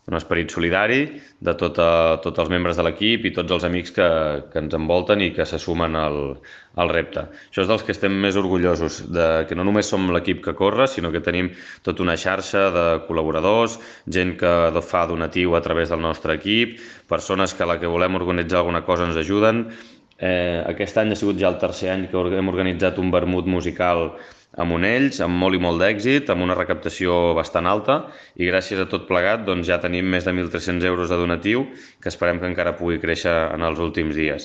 un esperit solidari de tots els membres de l'equip i tots els amics que ens envolten i que se sumen al repte. Això és dels que estem més orgullosos, que no només som l'equip que corre, sinó que tenim tota una xarxa de col·laboradors, gent que fa donatiu a través del nostre equip, persones que a la que volem organitzar alguna cosa ens ajuden. Aquest any ha sigut ja el tercer any que hem organitzat un vermut musical a Monells, amb molt i molt d'èxit, amb una recaptació bastant alta, i gràcies a tot plegat doncs, ja tenim més de 1.300 euros de donatiu, que esperem que encara pugui créixer en els últims dies.